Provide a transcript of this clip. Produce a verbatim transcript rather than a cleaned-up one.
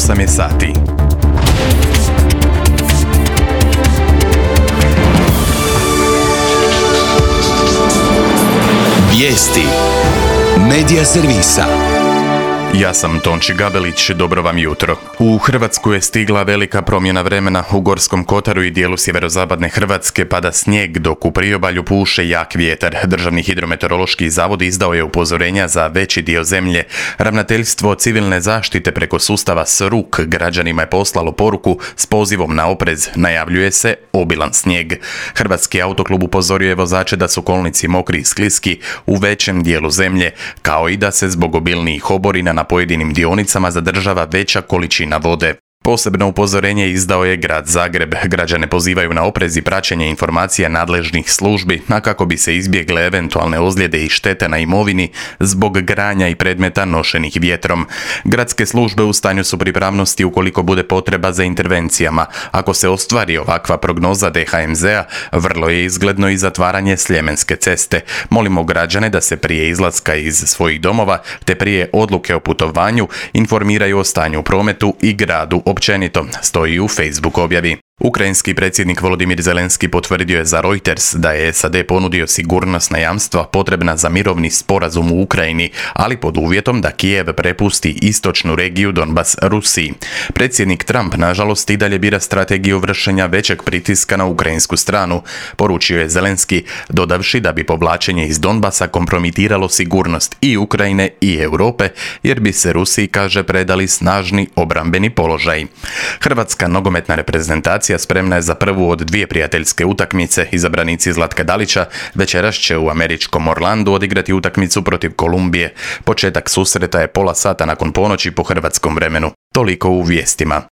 osam je sati. Vijesti Medija servisa. Ja sam Tonči Gabelić, dobro vam jutro. U Hrvatsku je stigla velika promjena vremena. U Gorskom kotaru i dijelu sjeverozapadne Hrvatske pada snijeg, dok u priobalju puše jak vjetar. Državni hidrometeorološki zavod izdao je upozorenja za veći dio zemlje. Ravnateljstvo civilne zaštite preko sustava S R U K građanima je poslalo poruku s pozivom na oprez. Najavljuje se obilan snijeg. Hrvatski autoklub upozorio je vozače da su kolnici mokri i skliski u većem dijelu zemlje, kao i da se zbog obilnijih oborina na pojedinim dionicama zadržava veća količina vode. Posebno upozorenje izdao je grad Zagreb. Građane pozivaju na oprez i praćenje informacija nadležnih službi, a kako bi se izbjegle eventualne ozljede i štete na imovini zbog granja i predmeta nošenih vjetrom. Gradske službe u stanju su pripravnosti ukoliko bude potreba za intervencijama. Ako se ostvari ovakva prognoza D H M Z-a, vrlo je izgledno i zatvaranje Sljemenske ceste. Molimo građane da se prije izlaska iz svojih domova te prije odluke o putovanju informiraju o stanju u prometu i gradu općenito, stoji u Facebook objavi. Ukrajinski predsjednik Volodimir Zelenski potvrdio je za Reuters da je S A D ponudio sigurnosna jamstva potrebna za mirovni sporazum u Ukrajini, ali pod uvjetom da Kijev prepusti istočnu regiju Donbas Rusiji. Predsjednik Trump, nažalost, i dalje bira strategiju vršenja većeg pritiska na ukrajinsku stranu, poručio je Zelenski, dodavši da bi povlačenje iz Donbasa kompromitiralo sigurnost i Ukrajine i Europe, jer bi se Rusiji, kaže, predali snažni obrambeni položaj. Hrvatska nogometna reprezentacija spremna je za prvu od dvije prijateljske utakmice. Izabranici Zlatka Dalića večeras će u američkom Orlandu odigrati utakmicu protiv Kolumbije. Početak susreta je pola sata nakon ponoći po hrvatskom vremenu. Toliko u vijestima.